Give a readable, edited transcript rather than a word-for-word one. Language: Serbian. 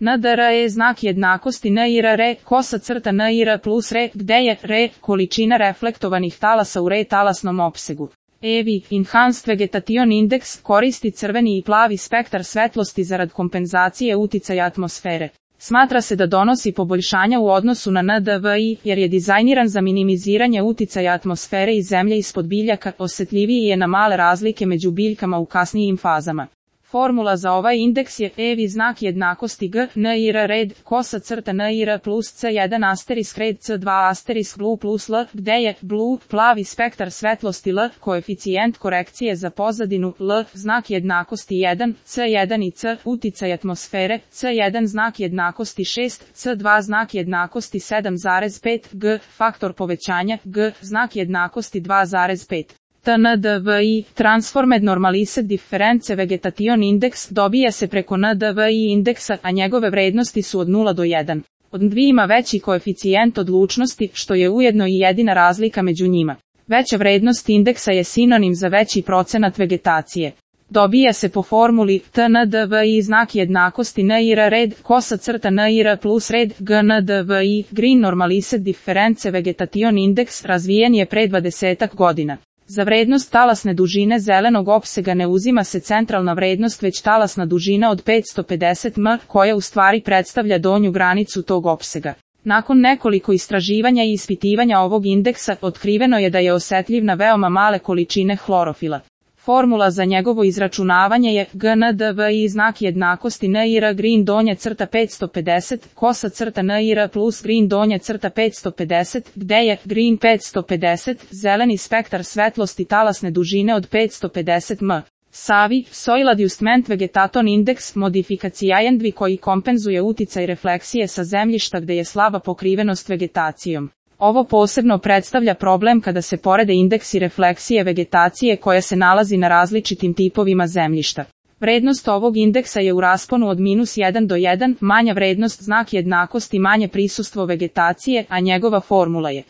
NDR je znak jednakosti NIR re, kosa crta NIR plus re, gde je re, količina reflektovanih talasa u re talasnom opsegu. EVI, Enhanced Vegetation Index, koristi crveni i plavi spektar svetlosti zarad kompenzacije uticaja atmosfere. Smatra se da donosi poboljšanja u odnosu na NDVI, jer je dizajniran za minimiziranje uticaja atmosfere i zemlje ispod biljaka, osetljiviji je na male razlike među biljkama u kasnijim fazama. Formula za ovaj indeks je EVI znak jednakosti G, NIR red, kosa crta NIR plus C1 asterisk red C2 asterisk blue plus L, gde je blue, plavi spektar svetlosti L, koeficijent korekcije za pozadinu L, znak jednakosti 1, C1 i C, uticaj atmosfere, C1 znak jednakosti 6, C2 znak jednakosti 7,5, G, faktor povećanja, G, znak jednakosti 2,5. TNDVI, Transformed Normalized Difference Vegetation Index, dobija se preko NDVI indeksa, a njegove vrednosti su od 0 do 1. Od 2 ima veći koeficijent odlučnosti, što je ujedno i jedina razlika među njima. Veća vrednost indeksa je sinonim za veći procenat vegetacije. Dobija se po formuli TNDVI znak jednakosti NIR red, kosa crta NIR plus red, GNDVI, Green Normalized Difference Vegetation Index, razvijen je pre 20 godina. Za vrednost talasne dužine zelenog opsega ne uzima se centralna vrednost već talasna dužina od 550 m, koja u stvari predstavlja donju granicu tog opsega. Nakon nekoliko istraživanja i ispitivanja ovog indeksa, otkriveno je da je osetljiv na veoma male količine hlorofila. Formula za njegovo izračunavanje je GNDVI znak jednakosti NIR green donja crta 550, kosa crta NIR plus green donja crta 550, gde je green 550, zeleni spektar svetlosti talasne dužine od 550 m. SAVI, Soil Adjustment Vegetation Index, modifikacijajan koji kompenzuje uticaj refleksije sa zemljišta gde je slaba pokrivenost vegetacijom. Ovo posebno predstavlja problem kada se porede indeksi refleksije vegetacije koja se nalazi na različitim tipovima zemljišta. Vrednost ovog indeksa je u rasponu od -1 do 1, manja vrednost znak jednakosti manje prisustvo vegetacije, a njegova formula je